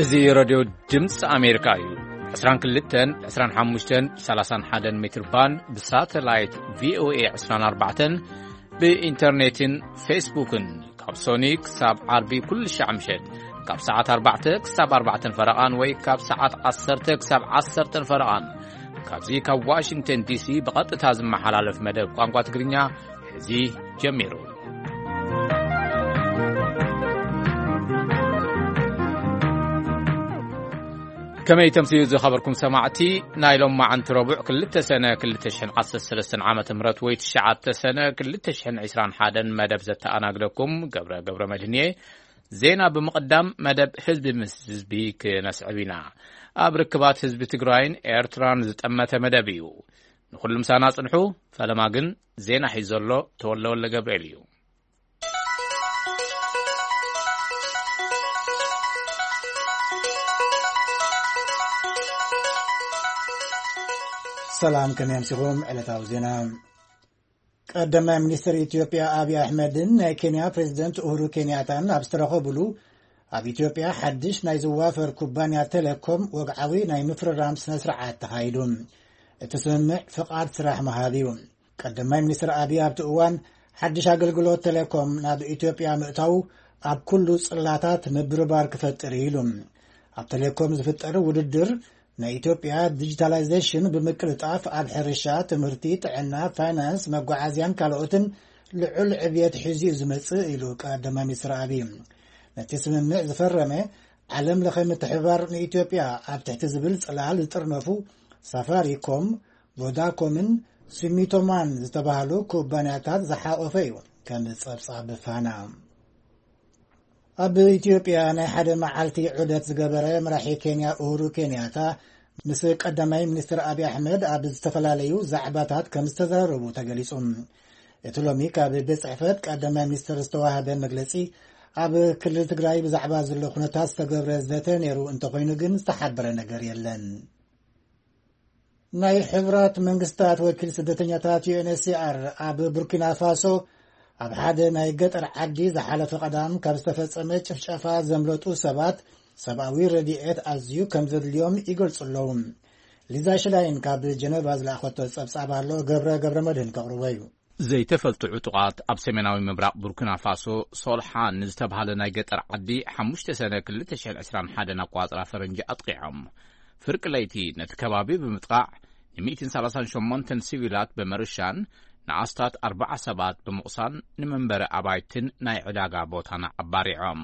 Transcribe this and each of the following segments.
እዚ ረድዮ ድምፂ ኣሜሪካ እዩ። ዕስራን ክልተን፣ ዕስራን ሓሙሽተን፣ ሰላሳን ሓደን ሜትር ባንድ ብሳተላይት ቪ ኦ ኤ ዕስራን ኣርባዕተን፣ ብኢንተርኔትን ፌስቡክን ካብ ሶኒ ክሳብ ዓርቢ ኩሉ ሻዕ ምሸት ካብ ሰዓት ኣርባዕተ ክሳብ ኣርባዕተን ፈረቓን ወይ ካብ ሰዓት ዓሰርተ ክሳብ ዓሰርተን ፈረቓን፣ ካብዚ ካብ ዋሽንግተን ዲሲ ብቐጥታ ዝመሓላለፍ መደብ ቋንቋ ትግርኛ ሕዚ ጀሚሩ። ከመይ ተምስዩ ዝኸበርኩም ሰማዕቲ፣ ናይ ሎማዓንቲ ረቡዕ ክልተ ሰነ ክልተ ሽሕን ዓሰርተ ሰለስተን ዓመተ ምህረት ወይ ትሽዓተ ሰነ ክልተ ሽሕን ዕስራን ሓደን መደብ ዘተኣናግደኩም ገብረ ገብረ መድህን እየ። ዜና ብምቕዳም መደብ ህዝቢ ምስ ህዝቢ ክነስዕብ ኢና። ኣብ ርክባት ህዝቢ ትግራይን ኤርትራን ዝጠመተ መደብ እዩ። ንኹሉ ምሳና ጽንሑ። ፈለማ ግን ዜና ሒዙ ዘሎ ተወልደ ወልደ ገብርኤል እዩ። ሰላም፣ ከመይ ኣምሲኹም? ዕለታዊ ዜና። ቀዳማይ ሚኒስትር ኢትዮጵያ ኣብይ ኣሕመድን ናይ ኬንያ ፕሬዚደንት ኡሁሩ ኬንያታን ኣብ ዝተረኸቡሉ፣ ኣብ ኢትዮጵያ ሓድሽ ናይ ዝዋፈር ኩባንያ ቴሌኮም ወግዓዊ ናይ ምፍርራም ስነ ስርዓት ተኻይዱ። እቲ ስምምዕ ፍቓድ ስራሕ ምሃብ እዩ። ቀዳማይ ሚኒስትር ኣብይ ኣብቲ እዋን፣ ሓድሽ ኣገልግሎት ቴሌኮም ናብ ኢትዮጵያ ምእታው ኣብ ኩሉ ጽላታት ምብርባር ክፈጥር እዩ ኢሉ። ኣብ ቴሌኮም ዝፍጠር ውድድር፣ ናይ ኢትዮጵያ ዲጂታላይዜሽን ብምቅልጣፍ ኣብ ሕርሻ፣ ትምህርቲ፣ ጥዕና፣ ፋይናንስ፣ መጓዓዝያን ካልኦትን ልዑል ዕብየት ሒዙ እዩ ዝመጽእ ኢሉ ቀዳማይ ሚኒስትር ኣብይ። ነቲ ስምምዕ ዝፈረመ፣ ዓለም ለኸ ምትሕብባር ንኢትዮጵያ ኣብ ትሕቲ ዝብል ጽላል ዝጥርነፉ ሳፋሪኮም፣ ቮዳኮምን ሱሚቶማን ዝተባህሉ ኩባንያታት ዝሓቖፈ እዩ። ከም ጸብጻብ ፋና። ኣብ ኢትዮጵያ ናይ ሓደ መዓልቲ ዑደት ዝገበረ መራሒ ኬንያ ኡሁሩ ኬንያታ ምስ ቀዳማይ ሚኒስትር ኣብይ ኣሕመድ ኣብ ዝተፈላለዩ ዛዕባታት ከም ዝተዘራረቡ ተገሊጹ። እቲ ሎሚ ካብ ቤት ጽሕፈት ቀዳማይ ሚኒስትር ዝተዋህበ መግለጺ፣ ኣብ ክልል ትግራይ ብዛዕባ ዘሎ ኩነታት ዝተገብረ ዘተ ነይሩ እንተኾይኑ ግን ዝተሓበረ ነገር የለን። ናይ ሕቡራት መንግስታት ወኪል ስደተኛታት ዩ ኤን ኤች ሲ ኣር ኣብ ቡርኪና ፋሶ ኣብ ሓደ ናይ ገጠር ዓዲ ዝሓለፈ ቀዳም ካብ ዝተፈጸመ ጭፍጨፋ ዘምለጡ ሰባት ሰብኣዊ ረድኤት ኣዝዩ ከም ዘድልዮም ይገልጹ ኣለዉ። ሊዛ ሽላይን ካብ ጀነቫ ዝለኣኸቶ ጸብጻብ ኣሎ፣ ገብረ ገብረ መድህን ከቕርቦ እዩ። ዘይተፈልጡ ዕጡቓት ኣብ ሰሜናዊ ምብራቕ ቡርኪና ፋሶ ሶልሓን ንዝተባህለ ናይ ገጠር ዓዲ ሓሙሽተ ሰነ ክልተ ሽሕን ዕስራን ሓደን ኣቋጽራ ፈረንጂ ኣጥቂዖም። ፍርቂ ለይቲ ነቲ ከባቢ ብምጥቓዕ ን ሚእትን ሰላሳን ሸሞንተን ሲቪላት ብምርሻን ንኣስታት ኣርባዓ ሰባት ብምቑሳን ንመንበሪ ኣባይትን ናይ ዕዳጋ ቦታን ኣባሪዖም።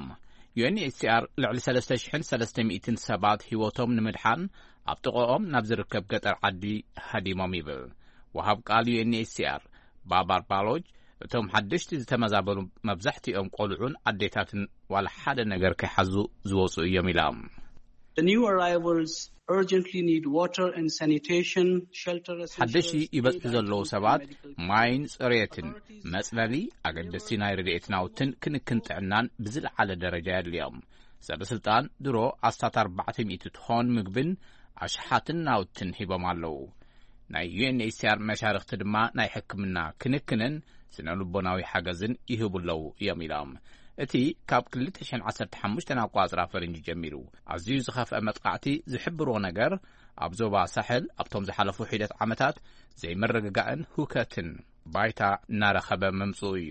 ዩ ኤን ኤች ሲ ኣር ልዕሊ ሰለስተ ሽሕን ሰለስተ ሚእትን ሰባት ህይወቶም ንምድሓን ኣብ ጥቕኦም ናብ ዝርከብ ገጠር ዓዲ ሃዲሞም ይብል ወሃብ ቃል ዩ ኤን ኤች ሲ ኣር ባባር ባሎጅ። እቶም ሓደሽቲ ዝተመዛበሉ መብዛሕትኦም ቆልዑን ኣዴታትን ዋላ ሓደ ነገር ከይሓዙ ዝወፁ እዮም ኢሎም። The new arrivals urgently need water and sanitation, shelter, ሓደሽቲ essentials, ይበፅሑ ዘለዉ ሰባት ማይን ፅሬትን መፅለሊ፣ ኣገደስቲ ናይ ረድኤት ናውትን ክንክን ጥዕናን ብዝለዓለ ደረጃ የድልዮም። ሰበ ስልጣን ድሮ ኣስታት ኣርባዕተ ሚእቲ ቶን ምግብን ኣሽሓትን ናውትን ሂቦም ኣለዉ። ናይ ዩ ኤን ኤች ሲ ኣር መሻርኽቲ ድማ ናይ ሕክምና ክንክንን ስነ ልቦናዊ ሓገዝን ይህቡ ኣለዉ እዮም ኢሎም። እቲ ካብ ክልተ ሽሕን ዓሰርተ ሓሙሽተን ኣቋጽራ ፈረንጂ ጀሚሩ ኣዝዩ ዝኸፍአ መጥቃዕቲ ዝሕብርዎ ነገር፣ ኣብ ዞባ ሳሕል ኣብቶም ዝሓለፉ ሒደት ዓመታት ዘይምርግጋእን ሁከትን ባይታ እናረኸበ ምምጽኡ እዩ።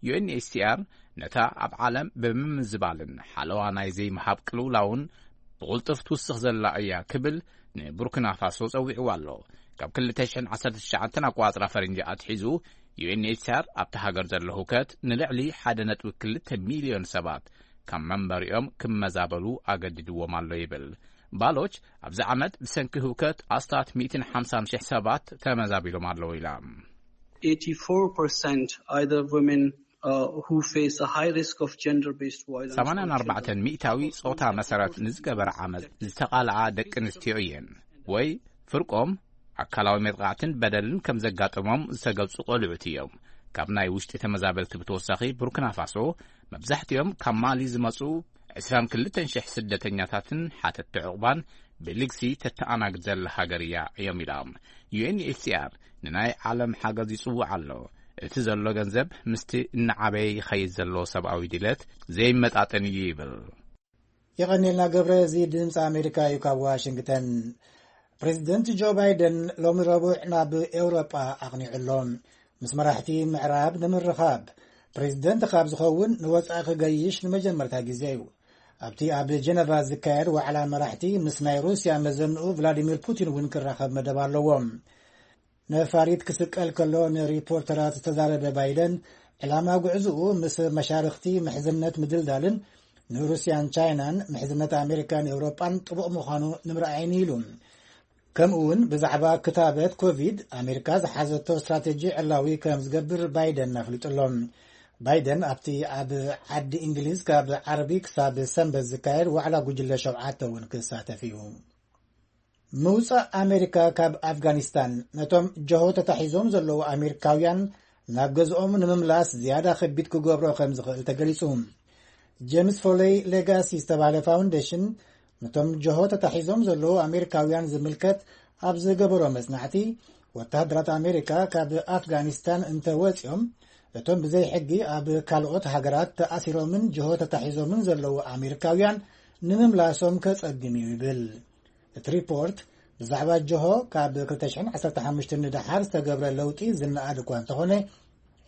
ዩ ኤን ኤች ሲ ኣር ነታ ኣብ ዓለም ብምምዝባልን ሓለዋ ናይ ዘይምሃብ ቅልውላውን ብቕልጡፍ ትውስኽ ዘላ እያ ክብል ንቡርኪና ፋሶ ጸዊዕዋ ኣሎ። ካብ ክልተ ሽሕን ዓሰርተ ትሽዓተን ኣቋጽራ ፈረንጂ ኣትሒዙ፣ ዩ ኤን ኤች ሲ ኣር ኣብታ ሃገር ዘሎ ህውከት ንልዕሊ ሓደ ነጥቢ ክልተ ሚልዮን ሰባት ካብ መንበሪኦም ክመዛበሉ ኣገዲድዎም ኣሎ ይብል። ባሎች ኣብዚ ዓመት ብሰንኪ ህውከት ኣስታት ሚእትን ሓምሳን ሽሕ ሰባት ተመዛቢሎም ኣለዉ ኢላ። Eighty-four percent either women, uh, who face a high risk of gender-based violence or ሰማንያን ኣርባዕተን ሚእታዊ ጾታ መሰረት ንዝገበረ ዓመጽ ዝተቓልዓ ደቂ ኣንስትዮ እየን፣ ወይ ፍርቆም ኣካላዊ መጥቃዕትን በደልን ከም ዘጋጠሞም ዝተገልጹ ቆልዑት እዮም። ካብ ናይ ውሽጢ ተመዛበልቲ ብተወሳኺ፣ ቡርኪና ፋሶ መብዛሕትኦም ካብ ማሊ ዝመጹ ዕስራን ክልተን ሽሕ ስደተኛታትን ሓተትቲ ዕቑባን ብልግሲ ተተኣናግድ ዘላ ሃገር እያ እዮም ኢሎም። ዩ ኤን ኤች ሲ ኣር ንናይ ዓለም ሓገዝ ይጽውዕ ኣሎ። እቲ ዘሎ ገንዘብ ምስቲ እናዓበየ ይኸይድ ዘሎ ሰብኣዊ ድሌት ዘይመጣጠን እዩ ይብል። የቐኔልና ገብረ፣ እዚ ድምፂ ኣሜሪካ እዩ ካብ ዋሽንግተን። ፕሬዚደንት ጆ ባይደን ሎሚ ረቡዕ ናብ ኤውሮጳ ኣቕኒዑ ኣሎ። ምስ መራሕቲ ምዕራብ ንምርኻብ ፕሬዚደንት ካብ ዝኸውን ንወፃኢ ክገይሽ ንመጀመርታ ግዜ እዩ። ኣብቲ ኣብ ጀነቫ ዝካየድ ዋዕላ መራሕቲ ምስ ናይ ሩስያ መዘንኡ ቭላዲሚር ፑቲን እውን ክራኸብ መደብ ኣለዎ። ነፋሪት ክስቀል ከሎ ንሪፖርተራት ዝተዛረበ ባይደን፣ ዕላማ ጉዕዝኡ ምስ መሻርኽቲ ምሕዝነት ምድልዳልን ንሩስያን ቻይናን ምሕዝነት ኣሜሪካን ኤውሮጳን ጥቡቕ ምዃኑ ንምርኣይን ኢሉ። ከምኡ እውን ብዛዕባ ክታበት ኮቪድ ኣሜሪካ ዝሓዘቶ ስትራቴጂ ዕላዊ ከም ዝገብር ባይደን ኣፍሊጡ ኣሎ። ባይደን ኣብቲ ኣብ ዓዲ እንግሊዝ ካብ ዓርቢ ክሳብ ሰንበት ዝካየድ ዋዕላ ጉጅለ ሸውዓተ እውን ክሳተፍ እዩ። ምውጻእ ኣሜሪካ ካብ ኣፍጋኒስታን ነቶም ጀሆ ተታሒዞም ዘለዉ ኣሜሪካውያን ናብ ገዝኦም ንምምላስ ዝያዳ ከቢድ ክገብሮ ከም ዝኽእል ተገሊጹ። ጄምስ ፎለይ ሌጋሲ ዝተባህለ ፋውንዴሽን ነቶም ጀሆ ተታሒዞም ዘለዉ ኣሜሪካውያን ዝምልከት ኣብ ዝገበሮ መጽናዕቲ፣ ወተሃደራት ኣሜሪካ ካብ ኣፍጋኒስታን እንተወጺኦም፣ እቶም ብዘይ ሕጊ ኣብ ካልኦት ሃገራት ተኣሲሮምን ጀሆ ተታሒዞምን ዘለዉ ኣሜሪካውያን ንምምላሶም ከጸግም እዩ ይብል። እቲ ሪፖርት ብዛዕባ ጀሆ ካብ ክልተ ሽሕን ዓሰርተ ሓሙሽተን ንደሓር ዝተገብረ ለውጢ ዝነኣድ እኳ እንተኾነ፣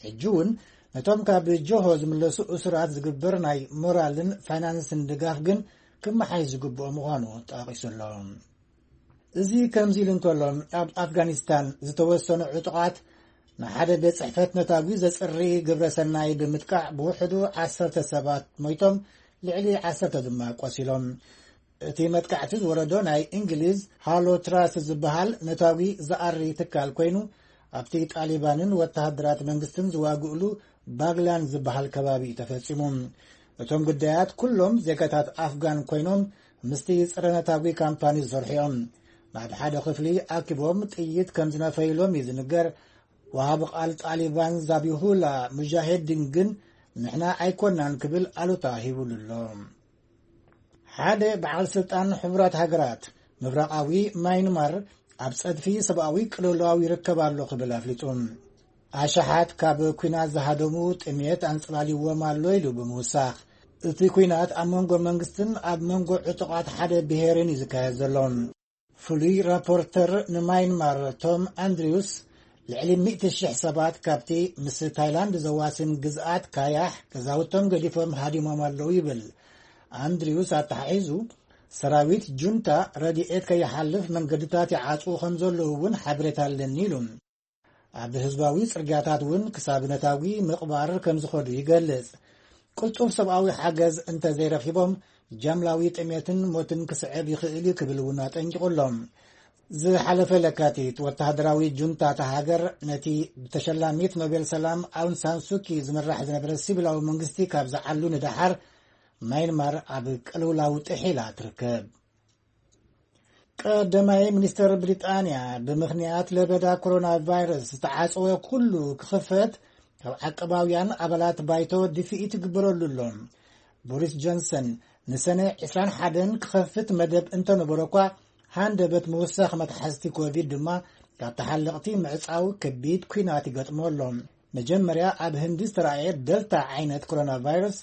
ሕጂ እውን ነቶም ካብ ጀሆ ዝምለሱ እሱራት ዝግበር ናይ ሞራልን ፋይናንስን ድጋፍ ግን ክመሓይሽ ዝግብኦ ምዃኑ ጠቒሱ ኣሎ። እዚ ከምዚ ኢሉ እንከሎ፣ ኣብ ኣፍጋኒስታን ዝተወሰኑ ዕጡቓት ንሓደ ቤት ጽሕፈት ነታጒ ዘጽሪ ግብረ ሰናይ ብምጥቃዕ ብውሕዱ ዓሰርተ ሰባት ሞይቶም፣ ልዕሊ ዓሰርተ ድማ ቆሲሎም። እቲ መጥቃዕቲ ዝወረዶ ናይ እንግሊዝ ሃሎ ትራስት ዝበሃል ነታጒ ዝኣሪ ትካል ኮይኑ፣ ኣብቲ ጣሊባንን ወተሃደራት መንግስትን ዝዋግእሉ ባግላን ዝበሃል ከባቢ እዩ ተፈጺሙ። እቶም ግዳያት ኩሎም ዜጋታት ኣፍጋን ኮይኖም፣ ምስቲ ጸረ ነታጒ ካምፓኒ ዝሰርሑ እዮም። ናብ ሓደ ክፍሊ ኣኪቦም ጥይት ከም ዝነፈይሎም እዩ ዝንገር። ወሃቢ ቃል ጣሊባን ዛቢሁላ ሙጃሄዲን ግን፣ ንሕና ኣይኮናን ክብል ኣሉታ ሂቡሉ ኣሎ። ሓደ በዓል ስልጣን ሕቡራት ሃገራት፣ ምብራቓዊ ማይንማር ኣብ ጸድፊ ሰብኣዊ ቅልውላው ይርከብ ኣሎ ክብል ኣፍሊጡ። ኣሽሓት ካብ ኲናት ዝሃደሙ ጥሜት ኣንጸላልይዎም ኣሎ ኢሉ ብምውሳኽ፣ እቲ ኲናት ኣብ መንጎ መንግስትን ኣብ መንጎ ዕጡቓት ሓደ ብሄርን እዩ ዝካየድ ዘሎ። ፍሉይ ራፖርተር ንማይንማር ቶም ኣንድሪውስ፣ ልዕሊ ሚእቲ ሽሕ ሰባት ካብቲ ምስ ታይላንድ ዘዋስን ግዝኣት ካያሕ ገዛውቶም ገዲፎም ሃዲሞም ኣለዉ ይብል። ኣንድሪውስ ኣተሓሒዙ፣ ሰራዊት ጁንታ ረድኤት ከይሓልፍ መንገድታት ይዓጽዉ ከም ዘለዉ እውን ሓበሬታ ኣለኒ ኢሉ። ኣብ ህዝባዊ ጽርግያታት እውን ክሳብ ነታጒ ምቕባር ከም ዝኸዱ ይገልጽ። ቅልጡፍ ሰብኣዊ ሓገዝ እንተ ዘይረኺቦም፣ ጃምላዊ ጥሜትን ሞትን ክስዕብ ይኽእል እዩ ክብል እውን ኣጠንቂቑ ኣሎ። ዝሓለፈ ለካቲት፣ ወተሃደራዊ ጁንታ እታ ሃገር ነቲ ብተሸላሚት ኖቤል ሰላም ኣውን ሳን ሱኪ ዝምራሕ ዝነበረ ሲቪላዊ መንግስቲ ካብ ዝዓሉ ንደሓር፣ ማይንማር ኣብ ቅልውላው ጥሒላ ትርከብ። ቀዳማይ ሚኒስተር ብሪጣንያ፣ ብምኽንያት ለበዳ ኮሮና ቫይረስ ዝተዓጸወ ኩሉ ክኽፈት ካብ ዓቀባውያን ኣባላት ባይቶ ድፍኢት ይግበረሉ ኣሎ። ቦሪስ ጆንሰን፣ ንሰነ ዕስራን ሓደን ክኸፍት መደብ እንተነበሮ እኳ፣ ሃንደበት ምውሳኽ መትሓዝቲ ኮቪድ ድማ ካብ ተሓለቕቲ ምዕጻው ከቢድ ኲናት ይገጥሞ ኣሎ። መጀመርያ ኣብ ህንዲ ዝተራእየ ደልታ ዓይነት ኮሮና ቫይረስ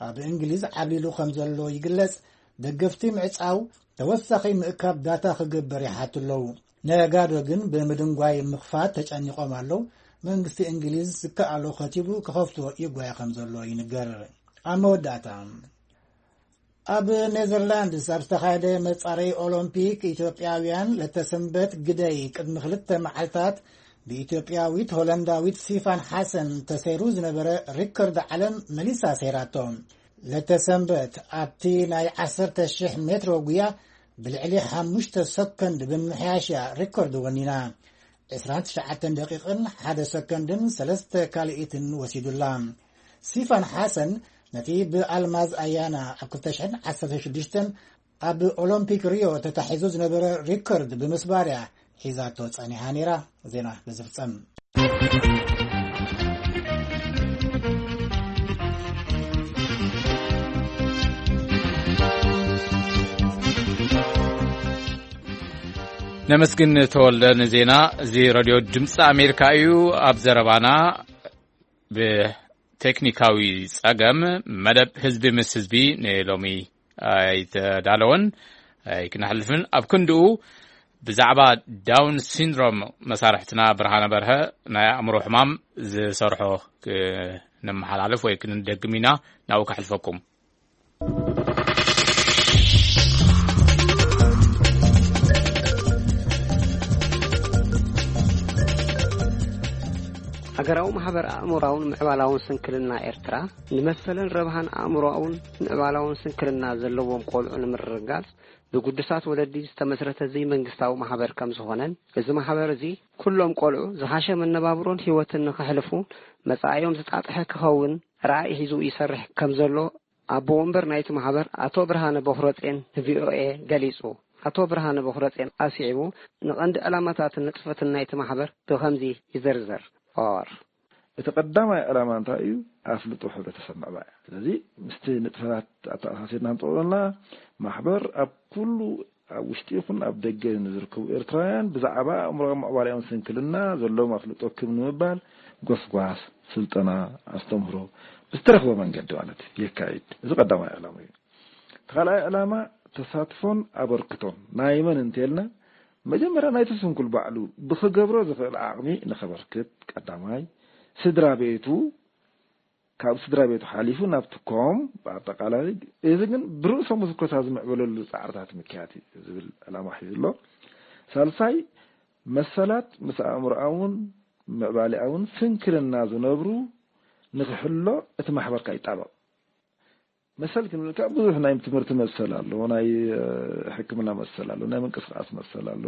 ኣብ እንግሊዝ ዓብሊሉ ከም ዘሎ ይግለጽ። ደገፍቲ ምዕጻው ተወሳኺ ምእካብ ዳታ ክግበር ይሓቱ ኣለዉ። ነጋዶ ግን ብምድንጓይ ምኽፋት ተጨኒቖም ኣለዉ። መንግስቲ እንግሊዝ ዝከኣሎ ከቲቡ ክኸፍቶ ይጓየ ከም ዘሎ ይንገር። ኣብ መወዳእታ፣ ኣብ ኔዘርላንድስ ኣብ ዝተኻየደ መጻረዪ ኦሎምፒክ፣ ኢትዮጵያውያን ለተሰንበት ግደይ ቅድሚ ክልተ መዓልታት ብኢትዮጵያዊት ሆላንዳዊት ሲፋን ሓሰን ተሰይሩ ዝነበረ ሪከርድ ዓለም መሊሳ ሰይራቶ። ለተሰንበት ኣብቲ ናይ ዓሰርተ ሽሕ ሜትሮ ጉያ ብልዕሊ ሓሙሽተ ሰኮንድ ብምምሕያሽ እያ ሪከርድ ወኒና። ዕስራን ትሽዓተን ደቂቕን ሓደ ሰኮንድን ሰለስተ ካልኢትን ወሲዱላ። ሲፋን ሓሰን ነቲ ብኣልማዝ ኣያና ኣብ ክልተ ሽሕን ዓሰርተ ሽዱሽተን ኣብ ኦሎምፒክ ሪዮ ተታሒዙ ዝነበረ ሪከርድ ብምስባር እያ ሒዛቶ ጸኒሓ ነይራ። ዜና በዚ ፍጸም። ነመስግን ተወልደ ንዜና። እዚ ሬድዮ ድምፂ ኣሜሪካ እዩ። ኣብ ዘረባና ብቴክኒካዊ ጸገም መደብ ህዝቢ ምስ ህዝቢ ንሎሚ ኣይተዳለወን ኣይክነሕልፍን። ኣብ ክንድኡ ብዛዕባ ዳውን ሲንድሮም መሳርሕትና ብርሃነ በርሀ ናይ ኣእምሮ ሕማም ዝሰርሖ ክነመሓላልፍ ወይ ክንደግም ኢና። ናብኡ ከሕልፈኩም። ሃገራዊ ማሕበር ኣእምሮኣውን ምዕባላውን ስንክልና ኤርትራ፣ ንመሰልን ረብሃን ኣእምሮኣውን ምዕባላውን ስንክልና ዘለዎም ቆልዑ ንምርግጋጽ ብግዱሳት ወለዲ ዝተመስረተ ዘይመንግስታዊ ማሕበር ከም ዝኾነን፣ እዚ ማሕበር እዚ ኩሎም ቆልዑ ዝሓሸ መነባብሮን ህይወትን ንኸሕልፉ፣ መጻኢኦም ዝጣጥሐ ክኸውን ራእይ ሒዙ ይሰርሕ ከም ዘሎ ኣቦ ወንበር ናይቲ ማሕበር ኣቶ ብርሃነ ቦኽረጼን ንቪኦኤ ገሊጹ። ኣቶ ብርሃነ ቦኽረጼን ኣስዒቡ፣ ንቐንዲ ዕላማታትን ንጥፈትን ናይቲ ማሕበር ብኸምዚ ይዝርዝር። ኦር እቲ ቀዳማይ ዕላማ እንታይ እዩ? ኣፍልጦ ሕብረተሰብ ምዕባይ። ስለዚ ምስቲ ንጥፈታት ኣተኣሳሲርና ንጠቕለልና፣ ማሕበር ኣብ ኩሉ ኣብ ውሽጢ ይኹን ኣብ ደገ ንዝርከቡ ኤርትራውያን ብዛዕባ ኣእምሮኣዊ ምዕባሌኦም ስንክልና ዘለዎም ኣፍልጦ ክብ ንምባል ጎስጓስ፣ ስልጠና፣ ኣስተምህሮ ብዝተረኽበ መንገዲ ማለት እዩ የካይድ። እዚ ቀዳማይ ዕላማ እዩ። እቲ ካልኣይ ዕላማ ተሳትፎን ኣበርክቶን ናይ መን እንተልና፣ መጀመርያ ናይቲ ስንኩል ባዕሉ ብኽገብሮ ዝኽእል ዓቕሚ ንኸበርክት ቀዳማይ፣ ስድራ ቤቱ፣ ካብ ስድራ ቤቱ ሓሊፉ ናብቲ ኮም ብኣጠቓላይ፣ እዚ ግን ብርእሶም ዝኮታ ዝምዕበለሉ ጻዕርታት ምክያት እዩ ዝብል ዕላማ ሒዙ ኣሎ። ሳልሳይ፣ መሰላት ምስ ኣእምሮኣውን ምዕባሌኣውን ስንክልና ዝነብሩ ንክሕሎ እቲ ማሕበርካ ይጣበቕ። መሰል ክንብል ከኣ ብዙሕ ናይ ትምህርቲ መሰል ኣሎ፣ ናይ ሕክምና መሰል ኣሎ፣ ናይ ምንቅስቃስ መሰል ኣሎ።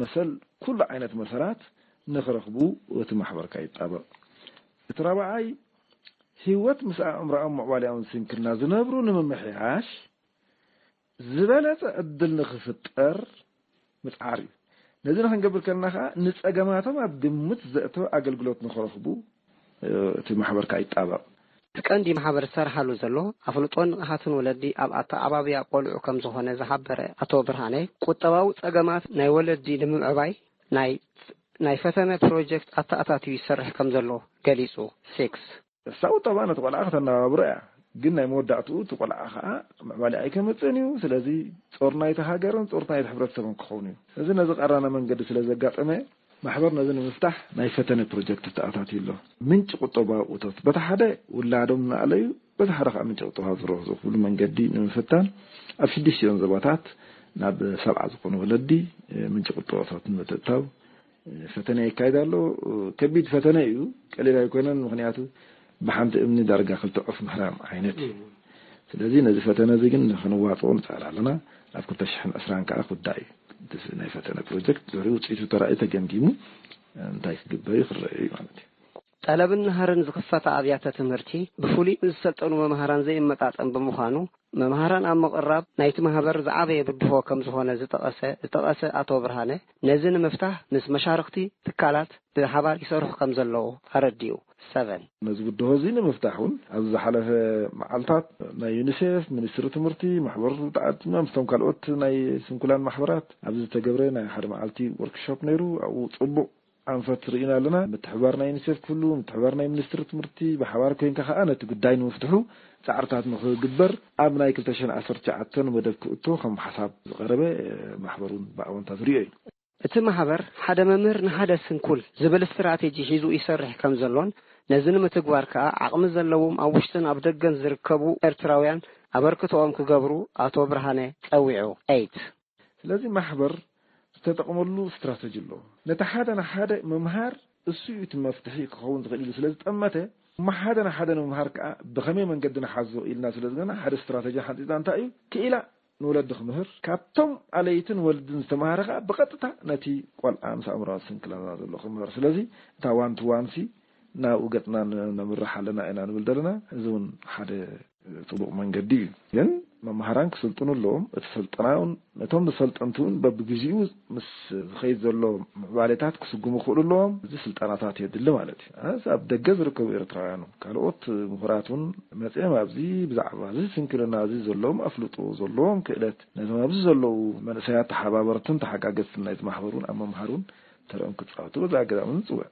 መሰል ኩሉ ዓይነት መሰላት ንክረኽቡ እቲ ማሕበርካ ይጣበቕ። እቲ ራብዓይ፣ ህይወት ምስ ኣእምሮኣውን ምዕባሌኣውን ስንክልና ዝነብሩ ንምምሕያሽ ዝበለጸ ዕድል ንክፍጠር ምጽዓር እዩ። ነዚ ንክንገብር ከለና ከኣ ንጸገማቶም ኣብ ግምት ዘእተወ ኣገልግሎት ንክረኽቡ እቲ ማሕበርካ ይጣበቕ። እቲ ቀንዲ ማሕበር ዝሰርሓሉ ዘሎ ኣፍልጦን ንቕሓትን ወለዲ ኣብ ኣተዓባብያ ቆልዑ ከም ዝኾነ ዝሓበረ ኣቶ ብርሃነ፣ ቁጠባዊ ጸገማት ናይ ወለዲ ንምዕባይ ናይ ናይ ፈተነ ፕሮጀክት ኣተኣታትዩ ይሰርሕ ከም ዘሎ ገሊጹ። ሲክስ እሳ ቁጠባ ነቲ ቆልዓ ከተነባብሮ እያ፣ ግን ናይ መወዳእትኡ እቲ ቆልዓ ከዓ ምዕባለ ኣይከመፅእን እዩ። ስለዚ ጾር ናይቲ ሃገርን ጾር ናይቲ ሕብረተሰብን ክኸውን እዩ። እዚ ነዚ ቀራና መንገዲ ስለ ዘጋጠመ ማሕበር ነዚ ንምፍታሕ ናይ ፈተነ ፕሮጀክት ተኣታትዩ ኣሎ። ምንጪ ቁጠባዊ እቶት በቲ ሓደ ውላዶም እናኣለዩ በቲ ሓደ ከዓ ምንጪ ቁጠባ ዝረኽቡ ዝኽብሉ መንገዲ ንምፍታን ኣብ ሽዱሽቲኦን ዞባታት ናብ ሰብዓ ዝኾኑ ወለዲ ምንጪ ቁጠባ እቶት ንምትእታው ፈተነ ይካየድ ኣሎ። ከቢድ ፈተነ እዩ፣ ቀሊል ኣይኮነን። ምክንያቱ ብሓንቲ እምኒ ዳርጋ ክልተ ዑፍ ምህራም ዓይነት እዩ። ስለዚ ነዚ ፈተነ እዚ ግን ክንዋፅኦ ንፅዕር ኣለና። ኣብ ክልተ ሽሕን ዕስራን ከዓ ክውዳእ እዩ። እቲ ናይ ፈተነ ፕሮጀክት ድሕሪ ውፅኢቱ ተራእዩ ተገምጊሙ እንታይ ክግበር እዩ ክረአ እዩ ማለት እዩ። ጠለብን ናህርን ዝኽፈታ ኣብያተ ትምህርቲ ብፍሉይ ምስ ዝሰልጠኑ መምሃራን ዘይመጣጠን ብምዃኑ መምሃራን ኣብ ምቕራብ ናይቲ ማህበር ዝዓበየ ብድሆ ከም ዝኾነ ዝጠቐሰ ዝጠቐሰ ኣቶ ብርሃነ ነዚ ንምፍታህ ምስ መሻርኽቲ ትካላት ብሓባር ይሰርሑ ከም ዘለዉ ኣረዲኡ። ሰቨን ነዚ ብድሆ እዚ ንምፍታሕ እውን ኣብዚ ዝሓለፈ መዓልታት ናይ ዩኒሴፍ፣ ሚኒስትሪ ትምህርቲ፣ ማሕበር ተዓድማ ምስቶም ካልኦት ናይ ስንኩላን ማሕበራት ኣብዚ ዝተገብረ ናይ ሓደ መዓልቲ ወርክሾፕ ነይሩ። ኣብኡ ፅቡቕ ኣንፈት ርኢና ኣለና። ምትሕባር ናይ ዩኒሴፍ ክህሉ፣ ምትሕባር ናይ ሚኒስትሪ ትምህርቲ ብሓባር ኮይንካ ከዓ ነቲ ጉዳይ ንምፍትሑ ፃዕርታት ንክግበር ኣብ ናይ ክልተ ሽሕን ዓሰርተ ትሽዓተን መደብ ክእቶ ከም ሓሳብ ዝቐረበ ማሕበር እውን ብኣወንታ ዝሪኦ እዩ። እቲ ማሕበር ሓደ መምህር ንሓደ ስንኩል ዝብል ስትራቴጂ ሒዙ ይሰርሕ ከም ዘሎን ነዚ ንምትግባር ከኣ ዓቕሚ ዘለዎም ኣብ ውሽጥን ኣብ ደገን ዝርከቡ ኤርትራውያን ኣበርክቶኦም ክገብሩ ኣቶ ብርሃነ ጸዊዑ። ኤይት ስለዚ ማሕበር ዝተጠቕመሉ ስትራተጂ ኣሎ። ነቲ ሓደ ንሓደ ምምሃር እሱ እዩ እቲ መፍትሒ ክኸውን ዝኽእል ኢሉ ስለ ዝጠመተ እሞ ሓደ ንሓደ ንምምሃር ከኣ ብኸመይ መንገዲ ንሓዞ ኢልና ስለ ዝገና ሓደ ስትራተጂ ሓንፂፅና እንታይ እዩ ክኢላ ንወለዲ ክምህር ካብቶም ኣለይትን ወልድን ዝተምሃረ ከኣ ብቐጥታ ነቲ ቆልዓ ምስ ኣእምራዊ ስንክልና ዘሎ ክምህር ስለዚ እታ ዋን ቱ ዋን ሲ ናብኡ ገፅና ነምርሕ ኣለና ኢና ንብል ዘለና እዚ እውን ሓደ ፅቡቕ መንገዲ እዩ ግን መምሃራን ክስልጥኑ ኣለዎም እቲ ስልጠና እውን ነቶም ሰልጠንቲ እውን በብግዚኡ ምስ ዝኸይድ ዘሎ ምዕባሌታት ክስጉሙ ክኽእሉ ኣለዎም እዚ ስልጠናታት የድሊ ማለት እዩ ኣብ ደገ ዝርከቡ ኤርትራውያን ካልኦት ምሁራት እውን መፅኦም ኣብዚ ብዛዕባ እዚ ስንክልና እዚ ዘለዎም ኣፍልጦ ዘለዎም ክእለት ነቶም ኣብዚ ዘለዉ መንእሰያት ተሓባበርትን ተሓጋገዝትን ናይቲ ማሕበር እውን ኣብ ምምሃር እውን ተረኦም ክፃወቱ በዚ ኣጋጣሚ ንፅውዕ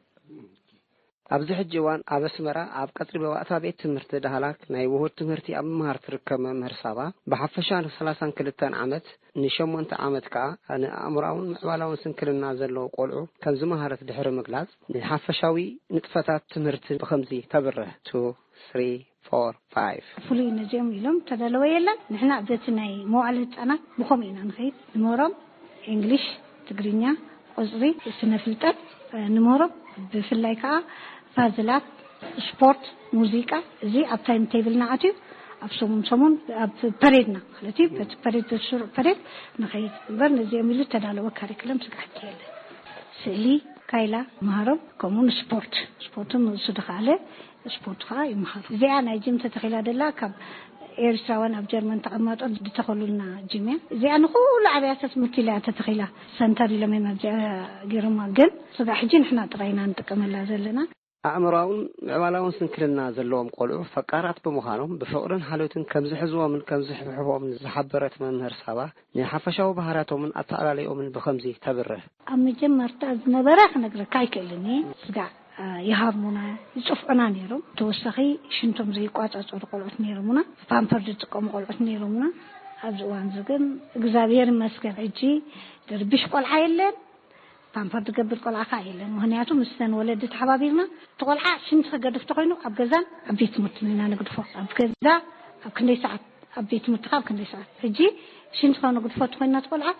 ኣብዚ ሕጂ እዋን ኣብ ኣስመራ ኣብ ቀጽሪ መባእታ ቤት ትምህርቲ ዳህላክ ናይ ውሁድ ትምህርቲ ኣብ ምምሃር ትርከብ መምህር ሳባ፣ ብሓፈሻ ን32 ዓመት፣ ንሸሞንተ ዓመት ከኣ ንኣእምሮኣውን ምዕባላውን ስንክልና ዘለዎም ቆልዑ ከም ዝመሃረት ድሕሪ ምግላጽ፣ ንሓፈሻዊ ንጥፈታት ትምህርቲ ብኸምዚ ተብርህ። ቱ፣ ስሪ፣ ፎር፣ ፋይቭ። ፍሉይ ነዚኦም ኢሎም ተዳለወ የለን። ንሕና በቲ ናይ መዋዕለ ህጻናት ብኸምኡ ኢና ንኸይድ። ንምህሮም እንግሊሽ፣ ትግርኛ፣ ቁጽሪ፣ ስነ ፍልጠት፣ እ፣ ንምህሮም። ብፍላይ ከኣ ፓዝላት፣ ስፖርት፣ ሙዚቃ፣ እዚ ኣብ ታይም ቴብልና ኣትዩ ኣብ ሰሙን ሰሙን ኣብ ፐሬድና ማለት እዩ። በቲ ፐሬድ፣ በቲ ስሩዕ ፐሬድ ንኸይድ እምበር ነዚኦም ኢሉ ተዳለወ ካሪክለም ስጋሕቲ የለን። ስእሊ፣ ካይላ፣ መሃሮም፣ ከምኡ ንስፖርት፣ ስፖርትን ንሱ ድኸኣለ ስፖርት ከኣ ይመሃሩ። እዚኣ ናይ ጅም ተተኺላ ደላ ካብ ኤርትራውያን ኣብ ጀርመን ተቐማጦ ዝተኸሉልና ጅም እያ። እዚኣ ንኹሉ ኣብያተ ትምህርቲ ኢላ እያ ተተኺላ። ሰንተር ኢሎም እዮም ኣብዚኣ ገይሮማ። ግን ስጋዕ ሕጂ ንሕና ጥራይ ኢና ንጥቀመላ ዘለና። ኣእምሮኣውን ምዕባላውን ስንክልና ዘለዎም ቆልዑ ፈቃራት ብምዃኖም ብፍቕርን ሓልዮትን ከም ዝሕዝዎምን ከም ዝሕብሕቦምን ዝሓበረት መምህር ሳባ፣ ንሓፈሻዊ ባህርያቶምን ኣተኣላልዮምን ብኸምዚ ተብርህ። ኣብ መጀመርታ ዝነበረ ክነግረካ ኣይክእልን እየ። ስጋዕ፣ አ፣ ይሃርሙና፣ ይጽፍዑና ነይሮም። ተወሳኺ ሽንቶም ዘይቋጻጸሩ ቆልዑት ነይሮምና። ፓምፐር ዝጥቀሙ ቆልዑት ነይሮምና። ኣብዚ እዋን እዚ ግን እግዚኣብሔር ይመስገን ሕጂ ድርብሽ ቆልዓ የለን። ፓምፐር ዝገብር ቆልዓ ከኣ የለን። ምኽንያቱ ምስተን ወለዲ ተሓባቢርና፣ እቲ ቆልዓ ሽንቲ ክገድፍ ተኾይኑ ኣብ ገዛን ኣብ ቤት ትምህርትን ኢና ንግድፎ። ኣብ ገዛ ኣብ ክንደይ ሰዓት፣ ኣብ ቤት ትምህርቲ ከኣ ኣብ ክንደይ ሰዓት። ሕጂ ሽንቲ ከነግድፎ ተኾይንና፣ እቲ ቆልዓ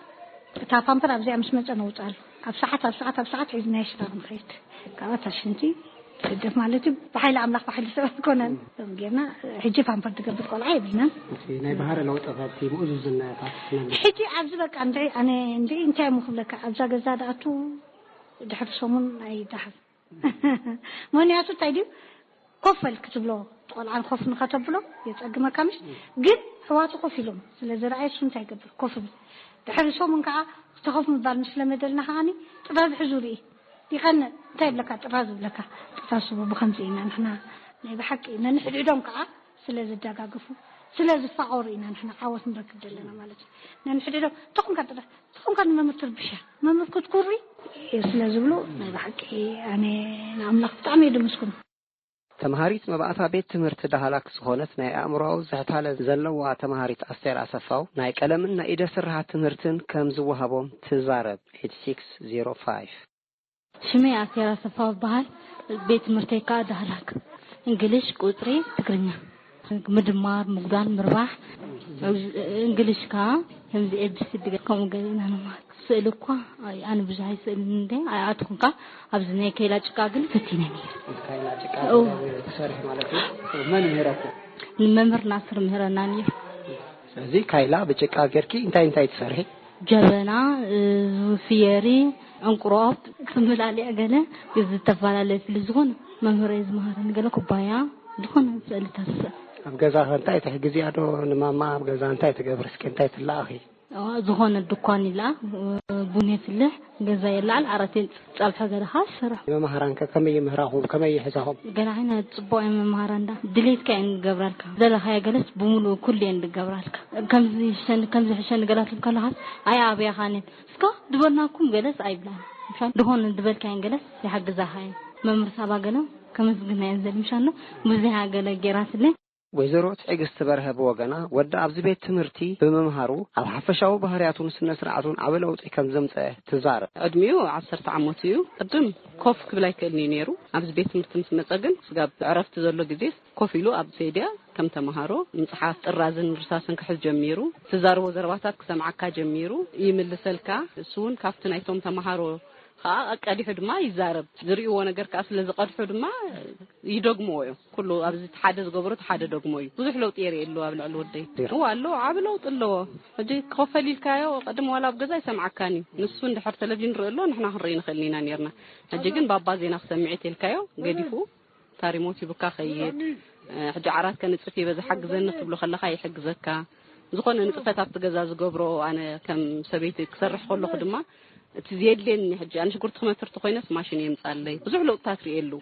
እታ ፓምፐር ኣብዚኣ ምስ መጸ ነውጽኣሉ። ኣብ ሰዓት፣ ኣብ ሰዓት፣ ኣብ ሰዓት ሒዝናዮ ሽታ ክንኸይድ። ካብኣ እታ ሽንቲ ትግደፍ ማለት እዩ። ብሓይሊ ኣምላኽ፣ ብሓይሊ ሰብ ኣይኮነን። ከም ጌርና ሕጂ ፓምፐር ዝገብር ቆልዓ የብልናን። እቲ ናይ ባህሪ ለውጥታት፣ እቲ ምእዙዝነታት ነሎ። ሕጂ ኣብዚ በቃ እንድዒ፣ ኣነ እንድዒ እንታይ እሞ ክብለካ፣ ኣብዛ ገዛ ድኣቱ ድሕሪ ሰሙን ኣይደሓን። ምኽንያቱ እንታይ ድዩ፣ ኮፍ በል ክትብሎ፣ ቆልዓ ኮፍ ንኸተብሎ የጸግመካ ምሽ? ግን ኣሕዋቱ ኮፍ ኢሎም ስለ ዝረኣየ እሱ እንታይ ይገብር? ኮፍ ይብል። ድሕሪ ሰሙን ከኣ እቲ ኮፍ ምባል ምስ ለመደልና ከኣኒ ጥራዝ ሕዙ ርኢ። ይቐንእ። እንታይ ይብለካ? ጥራዝ ይብለካ። ጥራዝ ስቡ። ብኸምዚ ኢና ንሕና ናይ ብሓቂ ነንሕድሕዶም ከኣ ስለ ዝደጋገፉ፣ ስለ ዝፋቐሩ ኢና ንሕና ዓወት ንረክብ ዘለና ማለት እዩ። ነንሕድሕዶም ተኾንካ ጥራዝ፣ ተኾንካ ንመምህር ትርብሻ፣ መምህር ክትኩሪ ስለ ዝብሉ ናይ ብሓቂ ኣነ ንኣምላኽ ብጣዕሚ እየ ድምስግኖ። ተምሃሪት መባእታ ቤት ትምህርቲ ዳህላክ ዝኾነት ናይ ኣእምሮኣዊ ዝሕታለ ዘለዋ ተምሃሪት ኣስቴር ኣሰፋው፣ ናይ ቀለምን ናይ ኢደ ስርሓት ትምህርትን ከም ዝወሃቦም ትዛረብ። ኤይት ሲክስ ዜሮ ፋይቭ። ሽመይ ኣስቴር ኣሰፋው እበሃል። ቤት ትምህርተይ ከኣ ዳህላክ። እንግሊሽ፣ ቁጽሪ፣ ትግርኛ። ምድማር፣ ምጉዳል፣ ምርባሕ። እንግሊሽ ከኣ ከምዚ ኤ ቢ ሲ ዲ ከምኡ ገለ ኢና ንመሃር። ስእሊ እኳ ኣይ-፣ ኣነ ብዙሕ ኣይስእልን እንደ ኣይኣትኹን ከኣ ኣብዚ ናይ ከይላ ጭቃ ግን ፈቲነ ነይረ። ካይላ ጭቃ እው። ትሰርሒ ማለት እዩ? መን ምህረኩም? ንመምህር ናስር ምህረና ነይሩ። ስለዚ ካይላ ብጭቃ ጌርኪ እንታይ እንታይ ትሰርሒ? ጀበና፣ እ፣ ፍየሪ፣ ዕንቁሮብ፣ ትምላልዕ ገለ ዝተፈላለየ ፍሊ ዝኾነ መምህረይ ዝመሃረኒ ገለ ኩባያ ዝኾነ ስእልታት ስእል። ኣብ ገዛ ከ እንታይ ትሕግዚ እያ ዶ ንማማ? ኣብ ገዛ እንታይ ትገብሪ እስኪ? እንታይ ትለኣኺ? ኣዋ፣ ዝኾነ ድኳን ይለኣ፣ ቡን የፍልሕ፣ ገዛ የለዓል፣ ዓራት የንጽፍ፣ ጸብሐ ገለ ኸኣ ይሰርሕ። መማህራን ከ ከመይ ይምህራኹም? ከመይ ይሕዛኹም? ገለ ዓይነት ጽቡቕ እየን መማህራን፣ እንዳ ድሌትካ እየን ዝገብራልካ። ዝደለኻዮ ገለስ ብምሉኡ ኩሉ እየን ዝገብራልካ። ከምዚ ይሕሸኒ፣ ከምዚ ይሕሸኒ ገለ ክትብል ከለኻስ፣ ኣይ ኣብያኻን እየን። እስከ ድበልናኩም ገለስ ኣይብላን። ምሻን ዝኾነ ዝበልካየን ገለስ ይሓግዛኻ እየን። መምህር ሳባ ገለ ከመስግና እየን ዘል ምሻን ነው። ብዙሕ ገለ ጌራትለይ። ወይዘሮ ትዕግስቲ በርሀ ብወገና፣ ወዳ ኣብዚ ቤት ትምህርቲ ብምምሃሩ ኣብ ሓፈሻዊ ባህርያቱን ስነ ስርዓቱን ዓቢ ለውጢ ከም ዘምጸአ ትዛረብ። ዕድሚኡ ዓሰርተ ዓመቱ እዩ። ቅድም ኮፍ ክብል ኣይክእልን እዩ ነይሩ። ኣብዚ ቤት ትምህርቲ ምስ መጸ ግን ስጋብ ዕረፍቲ ዘሎ ግዜ ኮፍ ኢሉ ኣብ ሴድያ ከም ተመሃሮ ምጽሓፍ፣ ጥራዝን ርሳስን ክሕዝ ጀሚሩ። ትዛረቦ ዘረባታት ክሰምዓካ ጀሚሩ፣ ይምልሰልካ። እሱ እውን ካብቲ ናይቶም ተመሃሮ ከኣ ቀዲሑ ድማ ይዛረብ። ዝርእይዎ ነገር ከኣ ስለ ዝቐድሑ ድማ ይደግምዎ እዮም። ኩሉ ኣብዚ እቲ ሓደ ዝገብሮ እቲ ሓደ ደግሞ እዩ። ብዙሕ ለውጢ የርእየሉ ኣብ ልዕሊ ወደይ። እዋ ኣለዎ፣ ዓቢ ለውጢ ኣለዎ። ሕጂ ክኸፈል ኢልካዮ፣ ቅድም ዋላ ኣብ ገዛ ኣይሰምዓካን እዩ። ንሱ እንድሕር ቴሌቪዥን ርኢ ኣሎ፣ ንሕና ክንርኢ ንኽእል ኢና ነርና። ሕጂ ግን ባባ ዜና ክሰምዕ እዩ ተልካዮ፣ ገዲፉ ታሪሞት ይብካ ኸይድ። ሕጂ ዓራት ከንጽፍ ይበዛ ሓግዘኒ ክትብሎ ከለኻ ይሕግዘካ። ዝኾነ ንጥፈት ኣብቲ ገዛ ዝገብሮ፣ ኣነ ከም ሰበይቲ ክሰርሕ ከለኹ ድማ እቲ ዘየድልየኒ፣ ሕጂ ኣነ ሽጉርቲ ክመትር ተኾይነስ ማሽን የምጻለይ። ብዙሕ ለውጥታት ርእየሉ።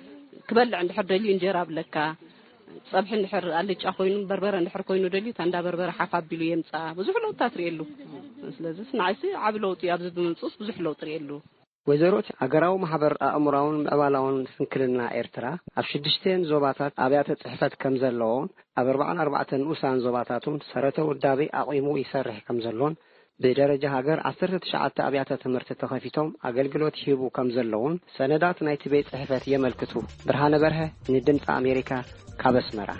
ክበልዕ እንድሕር ደልዩ እንጀራ ኣብለካ፣ ጸብሒ እንድሕር ኣልጫ ኮይኑ፣ በርበረ እንድሕር ኮይኑ ደልዩ፣ ታንዳ በርበረ ሓፍ ኣቢሉ የምጻ። ብዙሕ ለውጥታት ርእየሉ። ስለዚስ ንዓይሲ ዓቢ ለውጢ ኣብዚ ብምምጽኡስ ብዙሕ ለውጢ ርእየሉ። ወይዘሮት፣ ሃገራዊ ማሕበር ኣእምራውን ምዕባላውን ስንክልና ኤርትራ ኣብ ሽዱሽተን ዞባታት ኣብያተ ጽሕፈት ከም ዘለዎን ኣብ ኣርባዓን ኣርባዕተን ንኡሳን ዞባታቱን ሰረተ ውዳቤ ኣቑሙ ይሰርሕ ከም ዘሎን ብደረጃ ሃገር ዓሰርተ ትሽዓተ ኣብያተ ትምህርቲ ተኸፊቶም ኣገልግሎት ይህቡ ከም ዘለውን ሰነዳት ናይቲ ቤት ጽሕፈት የመልክቱ። ብርሃነ በርሀ ንድምፂ ኣሜሪካ ካብ ኣስመራ።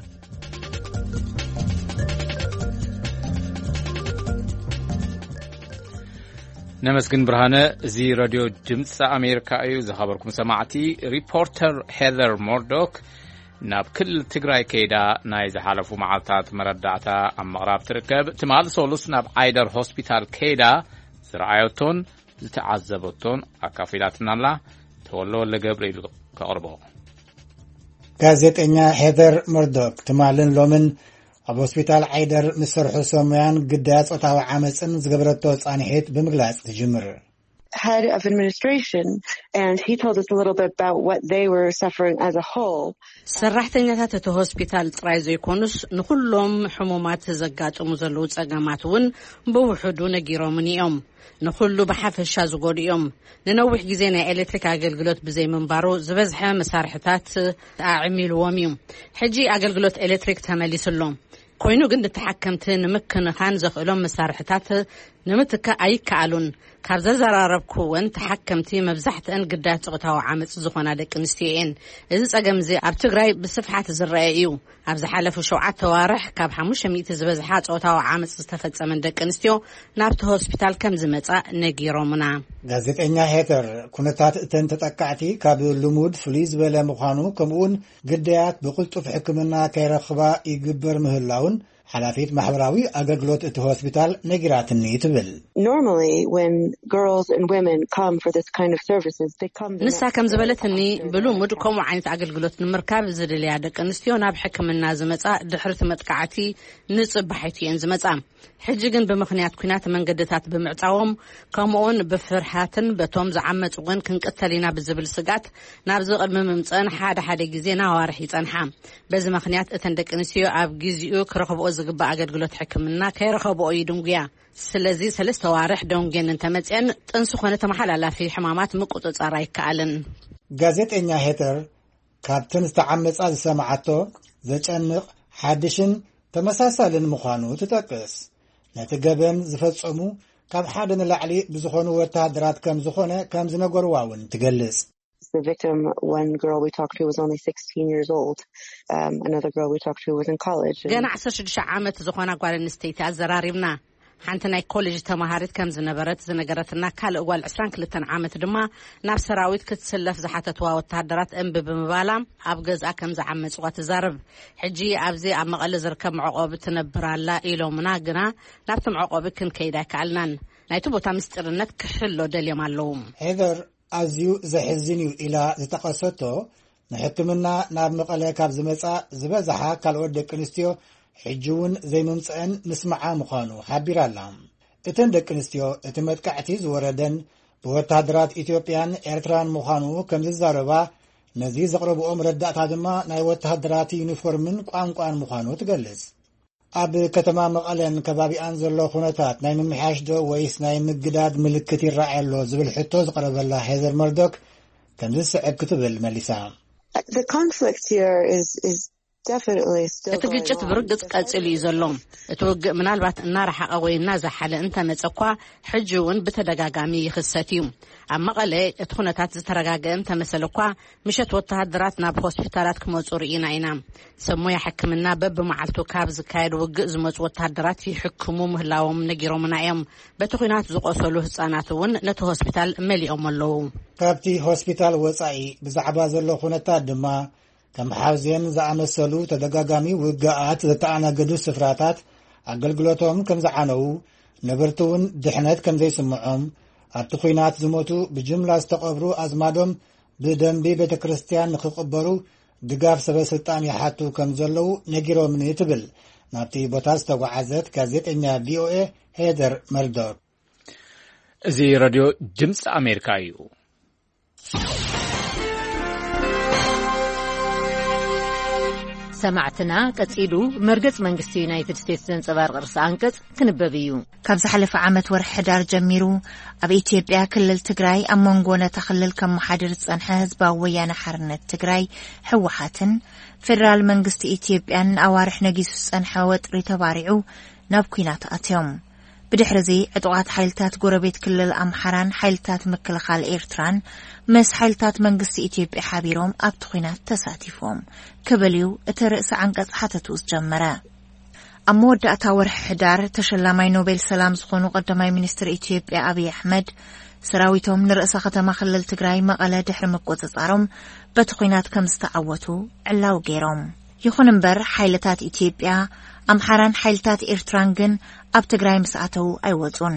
ነመስግን ብርሃነ። እዚ ረድዮ ድምፂ ኣሜሪካ እዩ። ዝኸበርኩም ሰማዕቲ፣ ሪፖርተር ሄዘር ሞርዶክ ናብ ክልል ትግራይ ከይዳ ናይ ዝሓለፉ መዓልታት መረዳእታ ኣብ ምቕራብ ትርከብ። ትማሊ ሰሉስ ናብ ዓይደር ሆስፒታል ከይዳ ዝረኣየቶን ዝተዓዘበቶን ኣካፊላትና ኣላ። ተወልደ ወልደ ገብርኤል ከቕርቦ። ጋዜጠኛ ሄዘር መርዶክ ትማልን ሎምን ኣብ ሆስፒታል ዓይደር ምስ ሰርሑ ሰሙያን ግዳያት ጾታዊ ዓመፅን ዝገበረቶ ጻንሒት ብምግላጽ ትጅምር። Head of administration, and he told us a little bit about what they were suffering as a whole. ሰራሕተኛታት እቲ ሆስፒታል ጥራይ ዘይኮኑስ ንኹሎም ሕሙማት ዘጋጥሙ ዘለዉ ጸገማት እውን ብውሕዱ ነጊሮምን እዮም። ንኹሉ ብሓፈሻ ዝጎዱ እዮም። ንነዊሕ ግዜ ናይ ኤሌክትሪክ ኣገልግሎት ብዘይምንባሩ ዝበዝሐ መሳርሕታት ኣዕሚልዎም እዩ። ሕጂ ኣገልግሎት ኤሌክትሪክ ተመሊሱ ኣሎ። ኮይኑ ግን ንተሓከምቲ ንምክንኻን ዘኽእሎም መሳርሕታት ንምትካእ ኣይከኣሉን። ካብ ዘዘራረብኩወን ተሓከምቲ መብዛሕትአን ግዳያት ጾታዊ ዓመጽ ዝኾና ደቂ ኣንስትዮ እየን። እዚ ጸገም እዚ ኣብ ትግራይ ብስፍሓት ዝረአ እዩ። ኣብ ዝሓለፉ ሸውዓተ ዋርሕ ካብ ሓሙሽተ ሚእቲ ዝበዝሓ ጾታዊ ዓመጽ ዝተፈጸመን ደቂ ኣንስትዮ ናብቲ ሆስፒታል ከም ዝመጻ ነጊሮምና። ጋዜጠኛ ሄተር ኩነታት እተን ተጠቃዕቲ ካብ ልሙድ ፍሉይ ዝበለ ምዃኑ፣ ከምኡውን ግዳያት ብቕልጡፍ ሕክምና ከይረኽባ ይግበር ምህላውን ሓላፊት ማሕበራዊ ኣገልግሎት እቲ ሆስፒታል ነጊራትኒ ትብል። Normally, when girls and women come for this kind of services, they come. ንሳ ከም ዝበለትኒ፣ ብልሙድ ከምኡ ዓይነት ኣገልግሎት ንምርካብ ዝደልያ ደቂ ኣንስትዮ ናብ ሕክምና ዝመጻ ድሕርቲ መጥቃዕቲ ንጽባሒቱ እየን ዝመጻ። ሕጂ ግን ብምኽንያት ኲናት መንገድታት ብምዕጻዎም፣ ከምኡውን ብፍርሃትን በቶም ዝዓመጹ እውን ክንቅተል ኢና ብዝብል ስግኣት ናብዚ ቅድሚ ምምጸን ሓደ ሓደ ግዜ ንኣዋርሕ ይጸንሓ። በዚ ምኽንያት እተን ደቂ ኣንስትዮ ኣብ ግዚኡ ክረኽብኦ ዝግባእ ኣገልግሎት ሕክምና ከይረኸብኦ ይድንጉያ። ስለዚ ሰለስተ ዋርሕ ደንጉየን እንተመጽአን ጥንሲ ኮነ ተመሓላላፊ ሕማማት ምቁጽጻር ኣይከኣልን። ጋዜጠኛ ሄተር ካብተን ዝተዓመጻ ዝሰማዓቶ ዘጨንቕ ሓድሽን ተመሳሳልን ምዃኑ ትጠቅስ። ነቲ ገበን ዝፈጸሙ ካብ ሓደ ንላዕሊ ብዝኾኑ ወተሃደራት ከም ዝኾነ ከም ዝነገርዋ እውን ትገልጽ። The victim, one girl we talked to, was only sixteen years old. Um, another girl we talked to was in college. And ገና ዓሰርተ ሽዱሽተ ዓመት ዝኾና ጓል ኣንስተይቲ ኣዘራሪብና። ሓንቲ ናይ ኮሌጅ ተማሃሪት ከም ዝነበረት ዝነገረትና ካልእ ጓል ዕስራን ክልተን ዓመት ድማ ናብ ሰራዊት ክትስለፍ ዝሓተትዋ ወተሃደራት እምቢ ብምባላ ኣብ ገዝኣ ከም ዝዓመጽዋ ትዛረብ። ሕጂ ኣብዚ ኣብ መቐለ ዝርከብ መዕቆቢ ትነብር ኣላ ኢሎምና፣ ግና ናብቲ መዕቆቢ ክንከይድ ኣይከኣልናን። ናይቲ ቦታ ምስጢርነት ክሕሎ ደልዮም ኣለዉ። ሄደር ኣዝዩ ዘሕዝን እዩ ኢላ ዝጠቐሰቶ፣ ንሕክምና ናብ መቐለ ካብ ዝመጻ ዝበዝሓ ካልኦት ደቂ ኣንስትዮ ሕጂ እውን ዘይምምጽአን ምስማዓ ምዃኑ ሓቢራ ኣላ። እተን ደቂ ኣንስትዮ እቲ መጥቃዕቲ ዝወረደን ብወተሃደራት ኢትዮጵያን ኤርትራን ምዃኑ ከም ዝዛረባ፣ ነዚ ዘቕረብኦ መረዳእታ ድማ ናይ ወተሃደራት ዩኒፎርምን ቋንቋን ምዃኑ ትገልጽ። ኣብ ከተማ መቐለን ከባቢኣን ዘሎ ኩነታት ናይ ምምሕያሽ ዶ ወይስ ናይ ምግዳድ ምልክት ይረኣይ ኣሎ ዝብል ሕቶ ዝቐረበላ ሄዘር መርዶክ ከምዚ ዝስዕብ ክትብል መሊሳ። The conflict here is, is definitely still እቲ ግጭት ብርግጽ ቀጺሉ እዩ ዘሎ። እቲ ውግእ ምናልባት እናረሓቐ ወይ እናዛሓለ እንተመጸ እኳ፣ ሕጂ እውን ብተደጋጋሚ ይኽሰት እዩ። ኣብ መቐለ እቲ ኩነታት ዝተረጋገአ እንተመሰለ እኳ፣ ምሸት ወተሃደራት ናብ ሆስፒታላት ክመጹ ርኢና ኢና። ሰብ ሞያ ሕክምና በብመዓልቱ ካብ ዝካየድ ውግእ ዝመጹ ወተሃደራት ይሕክሙ ምህላዎም ነጊሮምና እዮም። በቲ ኲናት ዝቖሰሉ ህጻናት እውን ነቲ ሆስፒታል መሊኦም ኣለዉ። ካብቲ ሆስፒታል ወጻኢ ብዛዕባ ዘሎ ኩነታት ድማ፣ ከም ሓውዜን ዝኣመሰሉ ተደጋጋሚ ውግኣት ዘተኣናገዱ ስፍራታት ኣገልግሎቶም ከም ዝዓነዉ፣ ነበርቲ እውን ድሕነት ከም ዘይስምዖም፣ ኣብቲ ኲናት ዝሞቱ ብጅምላ ዝተቐብሩ ኣዝማዶም ብደንቢ ቤተ ክርስቲያን ንኽቕበሩ ድጋፍ ሰበ ስልጣን ይሓቱ ከም ዘለዉ ነጊሮምኒ ትብል ናብቲ ቦታ ዝተጓዓዘት ጋዜጠኛ ቪኦኤ ሄደር መርዶክ። እዚ ረድዮ ድምፂ ኣሜሪካ እዩ። ሰማዕትና ቀጺሉ መርገጽ መንግስቲ ዩናይትድ ስቴትስ ዘንጸባርቕ ርእሰ ኣንቀጽ ክንበብ እዩ። ካብ ዝሓለፈ ዓመት ወርሒ ሕዳር ጀሚሩ ኣብ ኢትዮጵያ ክልል ትግራይ ኣብ መንጎ ነታ ክልል ከመሓድር ዝጸንሐ ህዝባዊ ወያነ ሓርነት ትግራይ ህወሓትን ፌደራል መንግስቲ ኢትዮጵያን ንኣዋርሕ ነጊሱ ዝጸንሐ ወጥሪ ተባሪዑ ናብ ኲናት ኣትዮም። ብድሕሪ እዚ ዕጡቓት ሓይልታት ጎረቤት ክልል ኣምሓራን ሓይልታት ምክልኻል ኤርትራን ምስ ሓይልታት መንግስቲ ኢትዮጵያ ሓቢሮም ኣብቲ ኲናት ተሳቲፎም ክብል እዩ እቲ ርእሲ ዓንቀጽ ሓተቱ ዝጀመረ። ኣብ መወዳእታ ወርሒ ሕዳር ተሸላማይ ኖቤል ሰላም ዝኾኑ ቀዳማይ ሚኒስትር ኢትዮጵያ ኣብይ ኣሕመድ ሰራዊቶም ንርእሰ ከተማ ክልል ትግራይ መቐለ ድሕሪ ምቁጽጻሮም በቲ ኲናት ከም ዝተዓወቱ ዕላው ገይሮም። ይኹን እምበር ሓይልታት ኢትዮጵያ፣ ኣምሓራን ሓይልታት ኤርትራን ግን ኣብ ትግራይ ምስ ኣተዉ ኣይወጹን።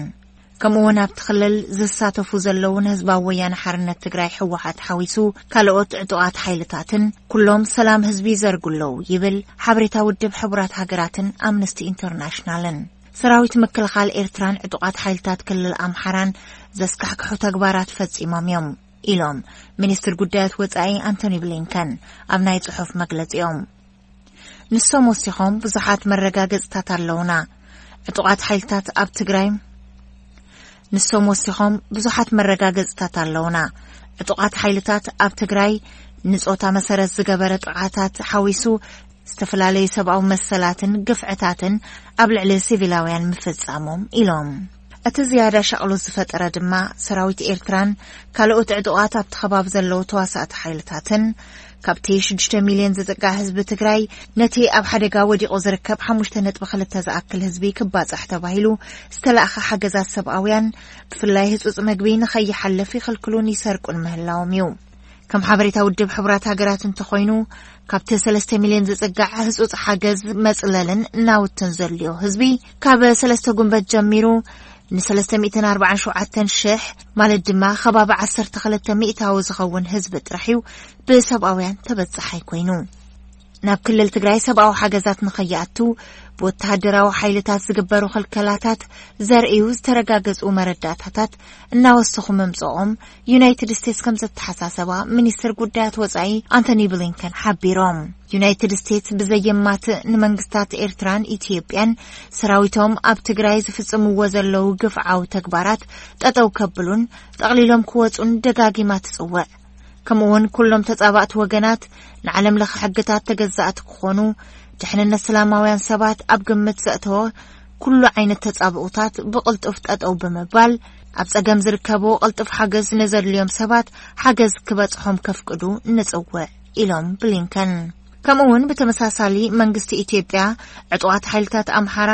ከምኡ እውን ኣብቲ ክልል ዝሳተፉ ዘለዉ ንህዝባዊ ወያነ ሓርነት ትግራይ ህወሓት ሓዊሱ ካልኦት ዕጡቓት ሓይልታትን ኩሎም ሰላም ህዝቢ ይዘርጉ ኣለዉ ይብል ሓበሬታ ውድብ ሕቡራት ሃገራትን ኣምነስቲ ኢንተርናሽናልን። ሰራዊት ምክልኻል ኤርትራን ዕጡቓት ሓይልታት ክልል ኣምሓራን ዘስካሕክሑ ተግባራት ፈጺሞም እዮም ኢሎም ሚኒስትር ጉዳያት ወጻኢ ኣንቶኒ ብሊንከን ኣብ ናይ ጽሑፍ መግለጺኦም። ንሶም ወሲኾም ብዙሓት መረጋገጽታት ኣለውና። ዕጡቓት ሓይልታት ኣብ ትግራይ ንሶም ወሲኾም ብዙሓት መረጋገጽታት ኣለውና። ዕጡቓት ሓይልታት ኣብ ትግራይ ንጾታ መሰረት ዝገበረ ጥቓታት ሓዊሱ ዝተፈላለዩ ሰብኣዊ መሰላትን ግፍዕታትን ኣብ ልዕሊ ሲቪላውያን ምፍጻሞም ኢሎም። እቲ ዝያዳ ሻቕሎት ዝፈጠረ ድማ ሰራዊት ኤርትራን ካልኦት ዕጡቓት ኣብቲ ከባቢ ዘለዉ ተዋሳእቲ ሓይልታትን ካብቲ ሽዱሽተ ሚልዮን ዝጥቃ ህዝቢ ትግራይ ነቲ ኣብ ሓደጋ ወዲቑ ዝርከብ ሓሙሽተ ነጥቢ ክልተ ዝኣክል ህዝቢ ክባጻሕ ተባሂሉ ዝተላእኸ ሓገዛት ሰብኣውያን ብፍላይ ህጹጽ መግቢ ንኸይሓልፍ ይኽልክሉን ይሰርቁን ምህላዎም እዩ። ከም ሓበሬታ ውድብ ሕቡራት ሃገራት እንተኾይኑ ካብቲ ሰለስተ ሚልዮን ዝጽጋዕ ህጹጽ ሓገዝ መጽለልን ናውትን ዘድልዮ ህዝቢ ካብ ሰለስተ ጉንበት ጀሚሩ ን ሰለስተ ሚእትን ኣርባዓን ሸውዓተን ሽሕ ማለት ድማ ከባቢ ዓሰርተ ክልተ ሚእታዊ ዝኸውን ህዝቢ ጥራሕ እዩ ብሰብኣውያን ተበጻሓይ ኮይኑ። ናብ ክልል ትግራይ ሰብኣዊ ሓገዛት ንኸይኣቱ ብወተሃደራዊ ሓይልታት ዝግበሩ ክልከላታት ዘርእዩ ዝተረጋገጹ መረዳእታታት እናወሰኹ ምምጽኦም ዩናይትድ ስቴትስ ከም ዘተሓሳሰባ ሚኒስትር ጉዳያት ወጻኢ ኣንቶኒ ብሊንከን ሓቢሮም። ዩናይትድ ስቴትስ ብዘየማትእ ንመንግስታት ኤርትራን ኢትዮጵያን ሰራዊቶም ኣብ ትግራይ ዝፍጽምዎ ዘለዉ ግፍዓዊ ተግባራት ጠጠው ከብሉን ጠቕሊሎም ክወጹን ደጋጊማ ትጽውዕ። ከምኡውን ኩሎም ተጻባእቲ ወገናት ንዓለም ለኸ ሕግታት ተገዛእቲ ክኾኑ፣ ድሕንነት ሰላማውያን ሰባት ኣብ ግምት ዘእተወ ኩሉ ዓይነት ተጻብኡታት ብቕልጡፍ ጠጠው ብምባል ኣብ ጸገም ዝርከቡ ቅልጡፍ ሓገዝ ንዘድልዮም ሰባት ሓገዝ ክበጽሖም ከፍቅዱ ንጽውዕ ኢሎም ብሊንከን። ከምኡ እውን ብተመሳሳሊ መንግስቲ ኢትዮጵያ ዕጡቓት ሓይልታት ኣምሓራ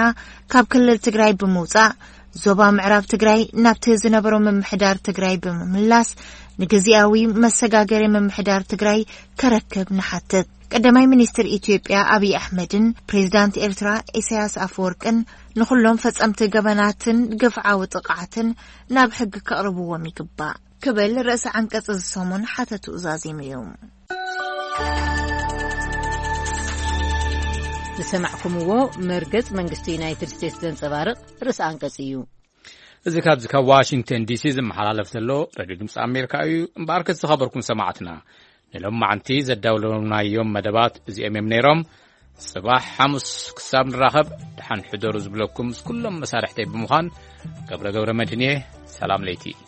ካብ ክልል ትግራይ ብምውጻእ ዞባ ምዕራብ ትግራይ ናብቲ ዝነበሮ ምምሕዳር ትግራይ ብምምላስ ንግዜያዊ መሰጋገሪ ምምሕዳር ትግራይ ከረክብ ንሓትት። ቀዳማይ ሚኒስትር ኢትዮጵያ ኣብይ ኣሕመድን ፕሬዚዳንት ኤርትራ ኢሳያስ ኣፈወርቅን ንኹሎም ፈጸምቲ ገበናትን ግፍዓዊ ጥቕዓትን ናብ ሕጊ ከቕርብዎም ይግባእ ክብል ርእሰ ዓንቀጽ እዚ ሰሙን ሓተትኡ ዛዚሙ እዩ። ዝሰማዕኩምዎ መርገጽ መንግስቲ ዩናይትድ ስቴትስ ዘንጸባርቕ ርእሰ ኣንቀጽ እዩ። እዚ ካብዚ ካብ ዋሽንግተን ዲሲ ዝመሓላለፍ ዘሎ ሬድዮ ድምፂ ኣሜሪካ እዩ። እምበኣርከ ዝኸበርኩም ሰማዕትና ንሎማዓንቲ ዘዳውለናዮም መደባት እዚኦም እዮም ነይሮም። ጽባሕ ሓሙስ ክሳብ ንራኸብ ደሓን ሕደሩ ዝብለኩም ምስ ኩሎም መሳርሕተይ ብምዃን ገብረ ገብረ መድህን እየ። ሰላም ለይቲ።